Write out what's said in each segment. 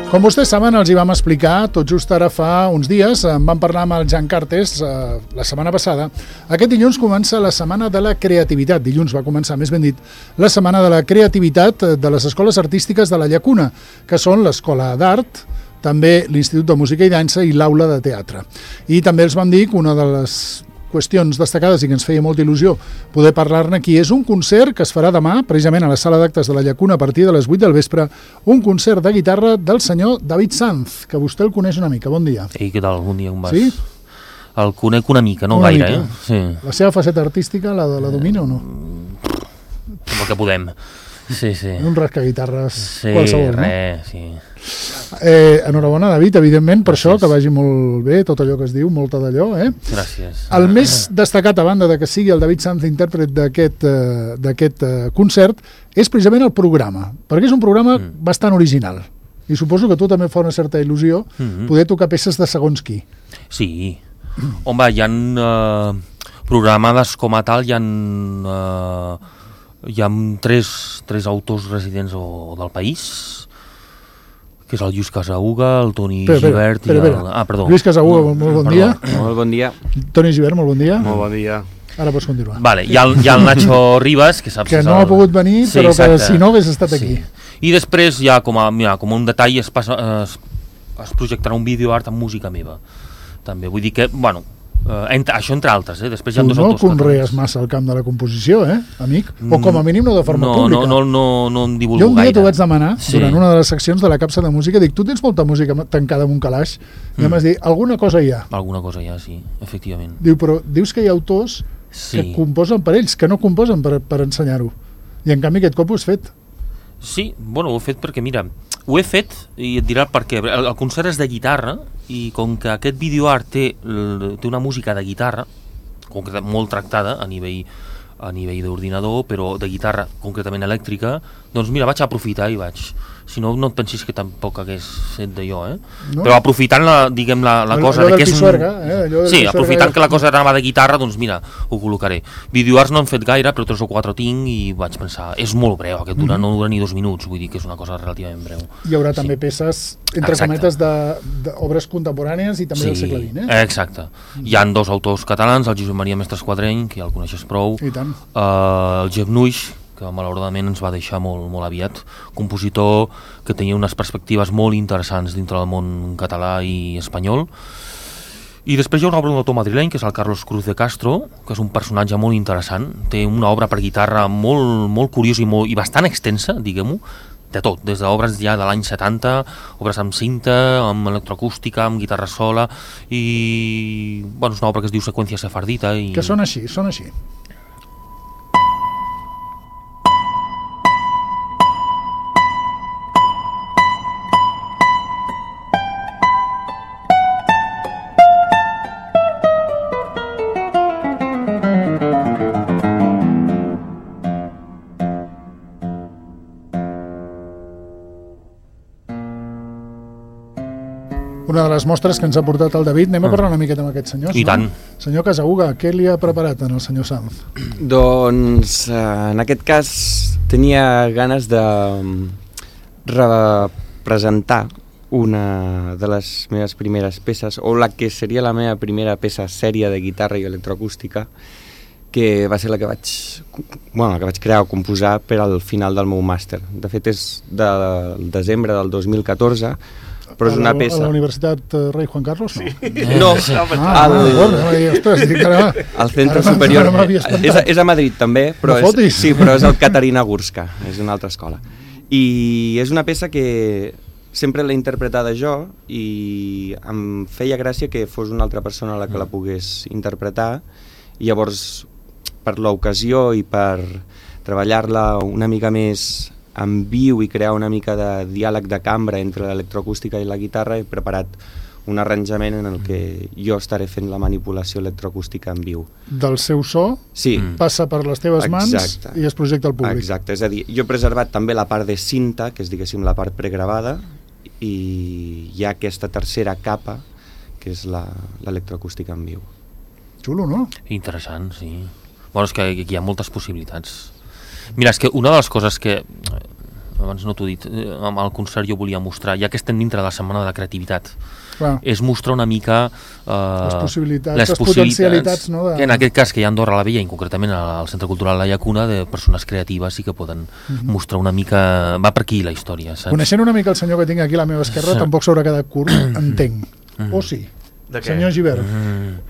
Com vostès saben, els hi vam explicar, tot just ara fa uns dies, en vam parlar amb el Jan Cartes la setmana passada. Aquest dilluns comença la Setmana de la Creativitat. Dilluns va començar, més ben dit, la Setmana de la Creativitat de les Escoles Artístiques de la Llacuna, que són l'Escola d'Art, també l'Institut de Música i Dansa i l'Aula de Teatre. I també els vam dir que una de les qüestions destacades i que ens feia molta il·lusió poder parlar-ne aquí és un concert que es farà demà, precisament a la Sala d'Actes de la Llacuna a partir de les 8 del vespre, un concert de guitarra del senyor David Sanz, que vostè el coneix una mica. Bon dia. Ei, què tal? Bon dia, com vas? Sí? El conec una mica, no una gaire, mica. Sí. La seva faceta artística la domina o no? Com el que podem. Sí. Un rascaguitarres sí, qualsevol, no? Sí. Enhorabona, David, evidentment, per això, que vagi molt bé, tot allò que es diu, molta d'allò, Gràcies. El més destacat, a banda de que sigui el David Sanz intèrpret d'aquest concert, és precisament el programa, perquè és un programa bastant original. I suposo que tu també fa una certa il·lusió poder tocar peces de segons qui. Sí. Home, hi ha programades com a tal, hi ha tres autors residents del país, que és el Lluís Casauga, el Toni Gibert i el... Ah, perdó. Lluís Casauga, molt bon dia. Molt bon dia. Toni Gibert, molt bon dia. Molt bon dia. Ara pots continuar. Vale, hi ha el Nacho Rivas, que saps... Que no ha pogut venir, sí, però exacte. Que si no hagués estat aquí. I després hi ha com un detall, es projectarà un videoart amb música meva. També, vull dir que, bueno... això entre altres, després hi ha dos autors. Tu no conrees massa el camp de la composició, amic? O com a mínim no de forma pública. No em divulgo gaire. Jo un dia t'ho vaig demanar, durant una de les seccions de la capsa de música, dic, tu tens molta música tancada en un calaix? I em vas dir, alguna cosa hi ha. Alguna cosa hi ha, sí, efectivament. Diu, però dius que hi ha autors que composen per ells, que no composen per ensenyar-ho. I en canvi aquest cop ho has fet. Sí, bueno, ho he fet perquè, mira, ho he fet i et dirà per què. El concert és de guitarra i com que aquest videoart té una música de guitarra, molt tractada a nivell d'ordinador, però de guitarra concretament elèctrica, doncs mira, vaig aprofitar i vaig... Si no, no et pensis que tampoc hagués fet d'allò, No? Però aprofitant la cosa... Allò del Pisuerga, Sí, aprofitant que la cosa anava de guitarra, doncs mira, ho col·locaré. Videoarts no han fet gaire, però 3 o 4 tinc i vaig pensar, és molt breu, aquest no dura ni 2 minuts, vull dir que és una cosa relativament breu. Hi haurà també peces, entre cometes, d'obres contemporànies i també del segle XX, Exacte. Hi ha 2 autors catalans, el Josep Maria Mestres Quadreny, que ja el coneixes prou, i tant. El Jeff Nuix, que malauradament ens va deixar molt aviat, compositor que tenia unes perspectives molt interessants dintre del món català i espanyol. I després hi ha un autor madrileny, que és el Carlos Cruz de Castro, que és un personatge molt interessant, té una obra per guitarra molt curiosa i bastant extensa, diguem-ho, de tot, des d'obres ja de l'any 70, obres amb cinta, amb electroacústica, amb guitarra sola, i bueno, és una obra que es diu Seqüència Sefardita. Que són així. Una de les mostres que ens ha portat el David. Anem a parlar una miqueta amb aquests senyors. I tant. Senyor Casauga, què li ha preparat en el senyor Sanz? Doncs en aquest cas tenia ganes de representar una de les meves primeres peces, o la que seria la meva primera peça sèria de guitarra i electroacústica, que va ser la que vaig crear o composar per al final del meu màster. De fet és del desembre del 2014, però és una peça... A la Universitat Rei Juan Carlos? No. No, al Centre Superior. És a Madrid també, però és el Caterina Gurska, és una altra escola. I és una peça que sempre l'he interpretada jo i em feia gràcia que fos una altra persona la que la pogués interpretar, i llavors per l'ocasió i per treballar-la una mica més en viu i crear una mica de diàleg de cambra entre l'electroacústica i la guitarra, he preparat un arranjament en el que jo estaré fent la manipulació electroacústica en viu. Del seu so passa per les teves mans i es projecta al públic. Exacte, és a dir, jo he preservat també la part de cinta, que és diguéssim la part pregravada, i hi ha aquesta tercera capa, que és l'electroacústica en viu. Xulo, no? Interessant, sí. Bueno, és que aquí hi ha moltes possibilitats. Mira, és que una de les coses que abans no t'ho he dit, amb el concert jo volia mostrar, ja que estem dintre de la setmana de la creativitat, és mostrar una mica les potencialitats, no? Que en aquest cas que hi ha a Andorra la Vella, i concretament al Centre Cultural La Llacuna, de persones creatives i que poden mostrar una mica, va per aquí la història, saps? Coneixent una mica el senyor que tinc aquí a la meva esquerra, tampoc s'haurà quedat curt, entenc, o sí? Senyor Gibert.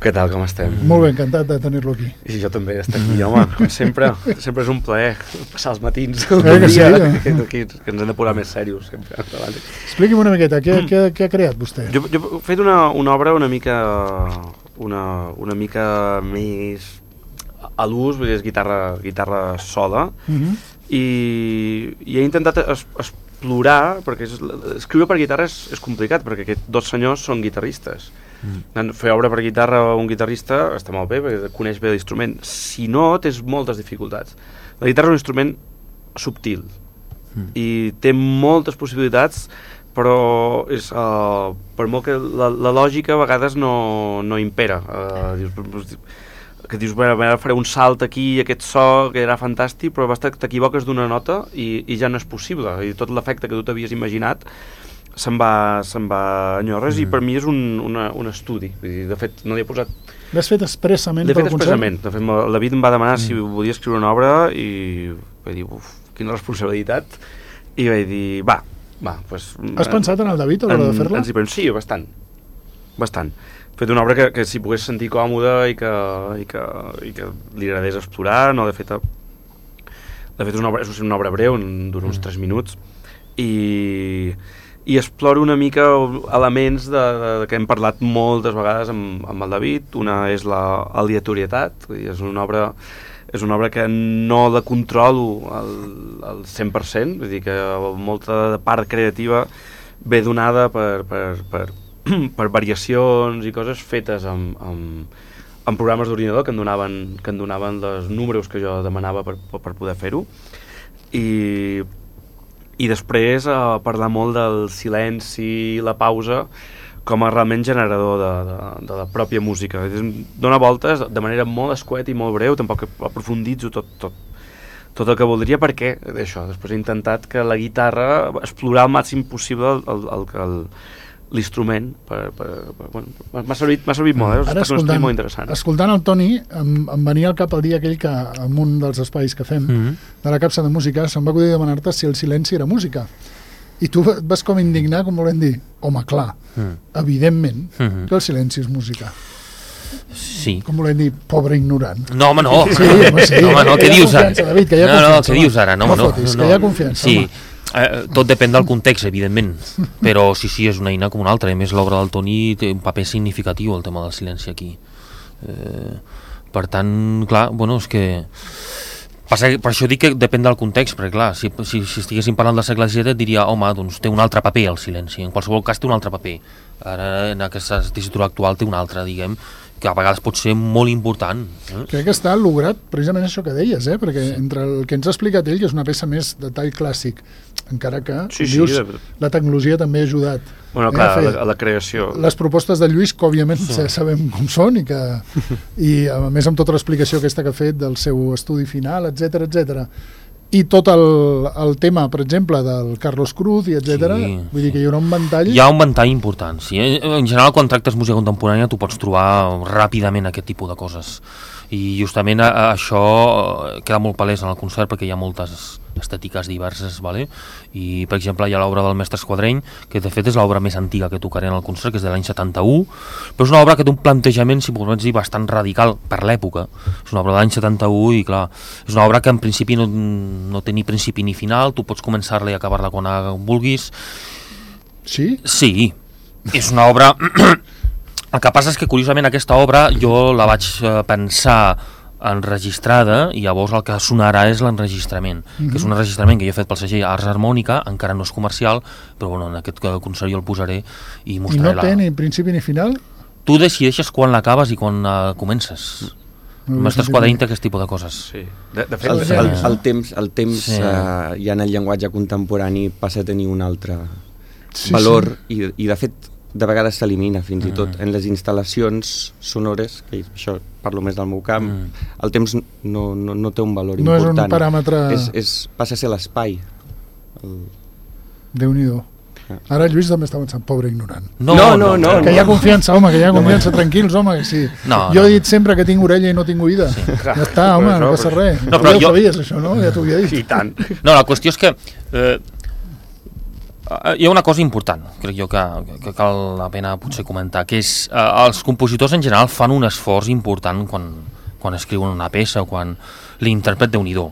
Què tal, com estem? Molt bé, encantat de tenir-lo aquí. I jo també d'estar aquí, home, com sempre. Sempre és un plaer passar els matins que que ens hem de posar més serios sempre. Expliqui'm una miqueta, què ha creat vostè? Jo he fet una obra una mica més a l'ús, vull dir, és guitarra sola, i he intentat explorar, perquè escriure per guitarra és complicat, perquè aquests dos senyors són guitarristes. Fer obra per guitarra a un guitarrista està molt bé, perquè coneix bé l'instrument. Si no, tens moltes dificultats. La guitarra és un instrument subtil i té moltes possibilitats, però per molt que la lògica a vegades no impera. Que dius, ara faré un salt aquí, aquest so que era fantàstic, però t'equivoques d'una nota i ja no és possible, i tot l'efecte que tu t'havies imaginat se'n va enyorres, i per mi és un estudi. De fet, no l'he posat... L'has fet expressament pel concert? Expressament. De fet, el David em va demanar si volia escriure una obra i vaig dir, quina responsabilitat, i vaig dir, va, doncs... Has pensat en el David a l'hora de fer-la? Sí, bastant. He fet una obra que s'hi pogués sentir còmode i que li agradés explorar. No, de fet és una obra breu, dura uns 3 minuts, i exploro una mica elements que hem parlat moltes vegades amb el David. Una és l'aleatorietat, és una obra que no la controlo al 100%, vull dir que molta part creativa ve donada per variacions i coses fetes amb programes d'ordinador que em donaven els números que jo demanava per poder fer-ho, i després parlar molt del silenci i la pausa com a realment generador de la pròpia música. Dóna voltes de manera molt escueta i molt breu, tampoc aprofunditzo tot el que voldria, perquè això, després he intentat que la guitarra explorar al màxim possible l'instrument. M'ha servit molt, és un estudi molt interessant. Escoltant el Toni, em venia al cap el dia aquell que, en un dels espais que fem de la capsa de música, se'm va acudir demanar-te si el silenci era música. I tu vas com indignar, com volem dir, home, clar, evidentment que el silenci és música. Sí. Com volem dir, pobre ignorant. No, home, no. Sí, no, què dius ara? David, que hi ha confiança. No, què dius ara? No, fotis, que hi ha confiança, home. Tot depèn del context, evidentment, però sí, és una eina com una altra. A més, l'obra del Toni té un paper significatiu, el tema del silenci aquí. Per tant, clar, és que... Per això dic que depèn del context, perquè clar, si estiguéssim parlant del segle XVII et diria, home, doncs té un altre paper el silenci, en qualsevol cas té un altre paper. Ara, en aquesta tessitura actual té un altre, diguem, que a vegades pot ser molt important. Crec que està lograt precisament això que deies, perquè entre el que ens ha explicat ell, que és una peça més de tall clàssic, encara que, dius, la tecnologia també ha ajudat a la creació. Les propostes de Lluís, que òbviament sabem com són, i a més amb tota l'explicació aquesta que ha fet del seu estudi final, etc. I tot el tema, per exemple, del Carlos Cruz i etc. Vull dir que hi haurà un ventall... Hi ha un ventall important, sí. En general, quan tractes música contemporània, tu pots trobar ràpidament aquest tipus de coses. I justament això queda molt palès en el concert, perquè hi ha moltes estètiques diverses, vale? I per exemple hi ha l'obra del Mestre Esquadreny, que de fet és l'obra més antiga que tocaré en el concert, que és de l'any 71, però és una obra que té un plantejament, si pots dir, bastant radical per l'època. És una obra de l'any 71 i clar, és una obra que en principi no té ni principi ni final, tu pots començar-la i acabar-la quan vulguis. Sí? Sí, és una obra... El que passa és que curiosament aquesta obra jo la vaig pensar enregistrada i llavors el que sonarà és l'enregistrament, que és un enregistrament que jo he fet pel segell Ars Harmònica, encara no és comercial, però en aquest concert jo el posaré i mostraré. I no té ni principi ni final? Tu decideixes quan l'acabes i quan comences. El Mestre Esquadreny té aquest tipus de coses. Sí. De fet, el temps ja en el llenguatge contemporani passa a tenir un altre valor i de fet de vegades s'elimina fins i tot en les instal·lacions sonores, que això parlo més del meu camp, el temps no té un valor important. No és un paràmetre... Passa a ser l'espai. Déu-n'hi-do. Ara el Lluís també està pensant, pobre ignorant. No. Que hi ha confiança, home, que hi ha confiança, tranquils, home, que sí. Jo he dit sempre que tinc orella i no tinc oïda. Sí. Ja està, home, no passa res. No, però ja ho sabies, això, no? Ja t'ho havia dit. I tant. No, la qüestió és que hi ha una cosa important, crec jo, que cal la pena potser comentar, que és els compositors en general fan un esforç important quan escriuen una peça o quan l'intèrpret Déu-n'hi-do.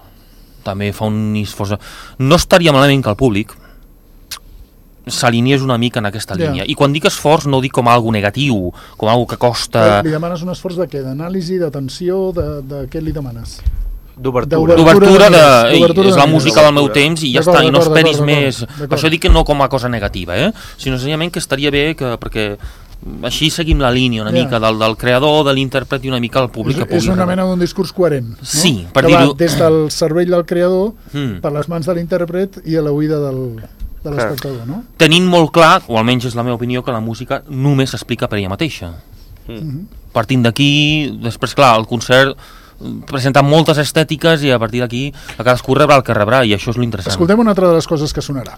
També fa un esforç. No estaria malament que el públic s'alineés una mica en aquesta línia. I quan dic esforç no dic com algo negatiu, com algo que costa... Li demanes un esforç de què? D'anàlisi, d'atenció, de què li demanes? D'obertura, és la música del meu temps i ja està, i no esperis més. Per això dic que no com a cosa negativa, sinó senzillament que estaria bé perquè així seguim la línia una mica del creador, de l'intèrpret i una mica el públic que pugui... És una mena d'un discurs coherent, no? Sí, per dir-ho... Que va des del cervell del creador per les mans de l'intèrpret i a l'oïda de l'espectador, no? Tenint molt clar, o almenys és la meva opinió, que la música només s'explica per ella mateixa. Partint d'aquí, després, clar, el concert presenta moltes estètiques i a partir d'aquí a cadascú rebrà el que rebrà i això és l'interessant. Escoltem una altra de les coses que sonarà.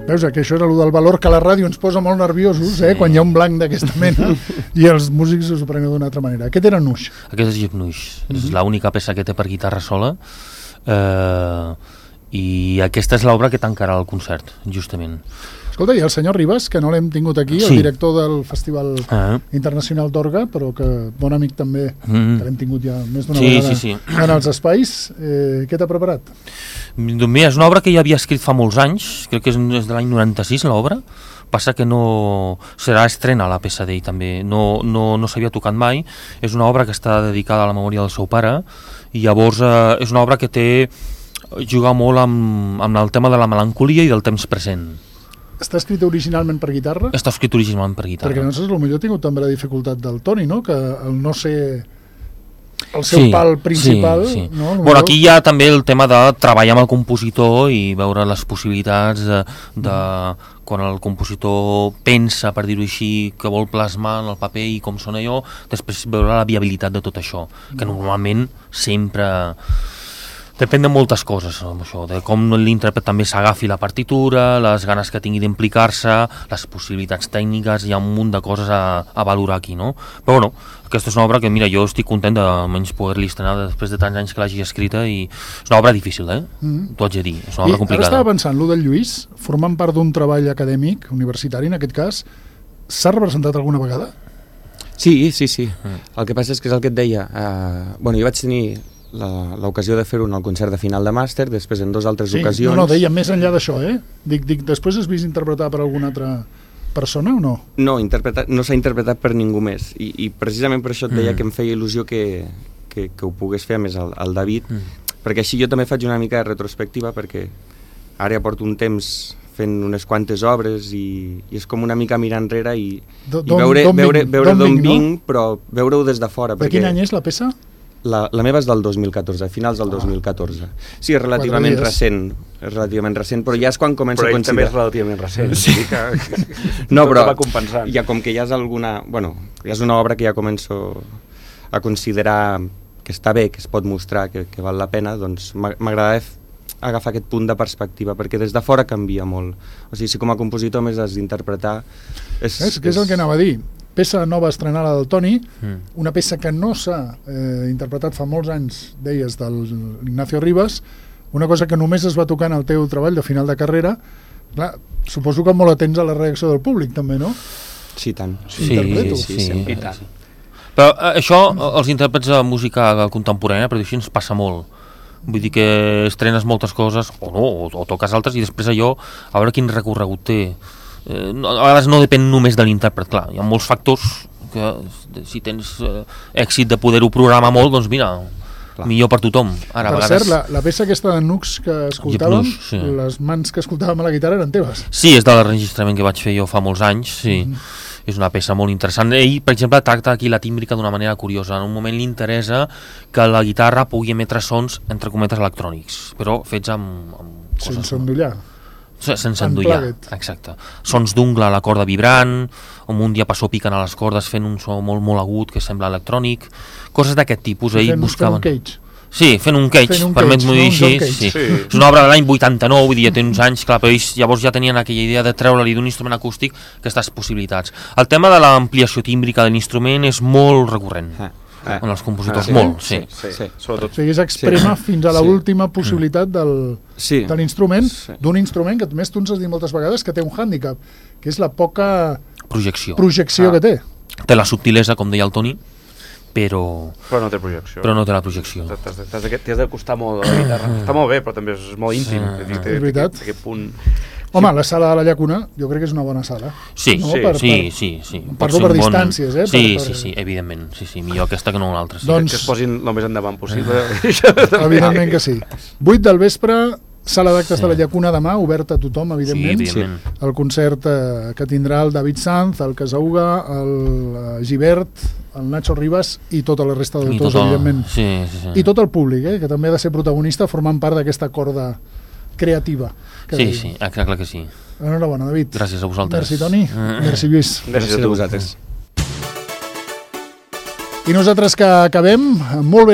Veus, que això era el del valor que la ràdio ens posa molt nerviosos, quan hi ha un blanc d'aquesta mena i els músics us ho prenen d'una altra manera. Aquest era Nuix. Aquest és Nuix. És l'única peça que té per guitarra sola i aquesta és l'obra que tancarà el concert, justament. Escolta, i el senyor Ribas, que no l'hem tingut aquí, el director del Festival Internacional d'Orga, però que bon amic també, que l'hem tingut ja més d'una vegada en els espais. Què t'ha preparat? Doncs mira, és una obra que ja havia escrit fa molts anys, crec que és de l'any 96 l'obra, passa que no serà estrena la peça d'ell també, no s'havia tocat mai, és una obra que està dedicada a la memòria del seu pare i llavors és una obra que juga molt amb el tema de la melancolia i del temps present. Està escrit originalment per guitarra? Està escrit originalment per guitarra. Perquè no sé, potser ha tingut també la dificultat del Toni, no? Que el no ser el seu pal principal... Sí. No? Bueno, aquí hi ha també el tema de treballar amb el compositor i veure les possibilitats de quan el compositor pensa, per dir-ho així, que vol plasmar en el paper i com sona allò, després veure la viabilitat de tot això, que normalment sempre... Depèn de moltes coses, això, de com l'intèrpret també s'agafi la partitura, les ganes que tingui d'implicar-se, les possibilitats tècniques, hi ha un munt de coses a valorar aquí, no? Però bueno, aquesta és una obra que, mira, jo estic content de almenys poder-li estrenar després de tants anys que l'hagi escrita i és una obra difícil, t'ho haig de dir, és una obra complicada. Ara estava pensant, lo del Lluís, formant part d'un treball acadèmic, universitari en aquest cas, s'ha representat alguna vegada? Sí. El que passa és que és el que et deia. Jo vaig tenir l'ocasió de fer-ho en el concert de final de màster, després en 2 altres ocasions... No, deia més enllà d'això, Dic, després has vist interpretar per alguna altra persona o no? No, no s'ha interpretat per ningú més, i precisament per això et deia que em feia il·lusió que ho pogués fer a més el David, perquè així jo també faig una mica de retrospectiva, perquè ara ja porto un temps fent unes quantes obres i és com una mica mirar enrere i veure d'on vinc, però veure-ho des de fora. De quin any és la peça? La meva és del 2014, finals del 2014. Sí, és relativament recent, però ja és quan comença a considerar... Però ell també és relativament recent. Sí. No, però ja com que ja és alguna... ja és una obra que ja començo a considerar que està bé, que es pot mostrar, que val la pena, doncs m'agrada agafar aquest punt de perspectiva, perquè des de fora canvia molt. O sigui, si com a compositor més has d'interpretar... És el que anava a dir. Peça nova estrenada del Toni, una peça que no s'ha interpretat fa molts anys, deies, de l'Ignacio Ribas, una cosa que només es va tocar en el teu treball de final de carrera. Clar, suposo que molt atents a la reacció del públic també, no? Sí, tant. Sí, i tant. Però això, els intèrprets de música contemporània, per dir així, ens passa molt. Vull dir que estrenes moltes coses, o no, o toques altres, i després allò, a veure quin recorregut té. a vegades no depèn només de l'intèrpret, clar, hi ha molts factors que si tens èxit de poder-ho programar molt, doncs mira, millor per tothom. Ara, per cert, la peça aquesta de Nux que escoltàvem, sí. Les mans que escoltàvem a la guitarra eren teves. Sí, és de l'enregistrament que vaig fer jo fa molts anys, sí. És una peça molt interessant. Ell, per exemple, tracta aquí la tímbrica d'una manera curiosa. En un moment li interessa que la guitarra pugui emetre sons, entre cometes, electrònics, però fets amb coses... Sense endollar. Sense endollar, exacte. Sons d'ungla a la corda vibrant, on un diapasó piquen a les cordes fent un so molt, molt agut que sembla electrònic, coses d'aquest tipus. Fent un cage. Sí, fent un cage, permet-m'ho dir així. Sí. És una obra de l'any 89, vull dir, ja té uns anys, clar, però ells llavors ja tenien aquella idea de treure-li d'un instrument acústic aquestes possibilitats. El tema de l'ampliació tímbrica de l'instrument és molt recurrent. En els compositors, molt, sí. Sobretot. O sigui, és extrema fins a l'última possibilitat de l'instrument, d'un instrument que més tu ens has dit moltes vegades que té un hàndicap, que és la poca projecció que té. Té la subtilesa, com deia el Toni, però no té projecció. Però no té la projecció. T'has d'acostar molt a la guitarra. Està molt bé, però també és molt íntim. És veritat. Aquest punt... Home, la sala de la Llacuna jo crec que és una bona sala. Sí. Parlo per distàncies, Sí, evidentment. Sí, millor aquesta que no una altra. Que es posin el més endavant possible. Evidentment que sí. 8 del vespre, sala d'actes de la Llacuna demà, oberta a tothom, evidentment. Sí, evidentment. El concert que tindrà el David Sanz, el Casauga, el Gibert, el Nacho Rivas i tota la resta d'autors, evidentment. Sí. I tot el públic, que també ha de ser protagonista formant part d'aquesta corda creativa. Sí, clar que sí. Enhorabona, David. Gràcies a vosaltres. Merci, Toni. Merci, Lluís. Gràcies a vosaltres. I nosaltres que acabem molt ben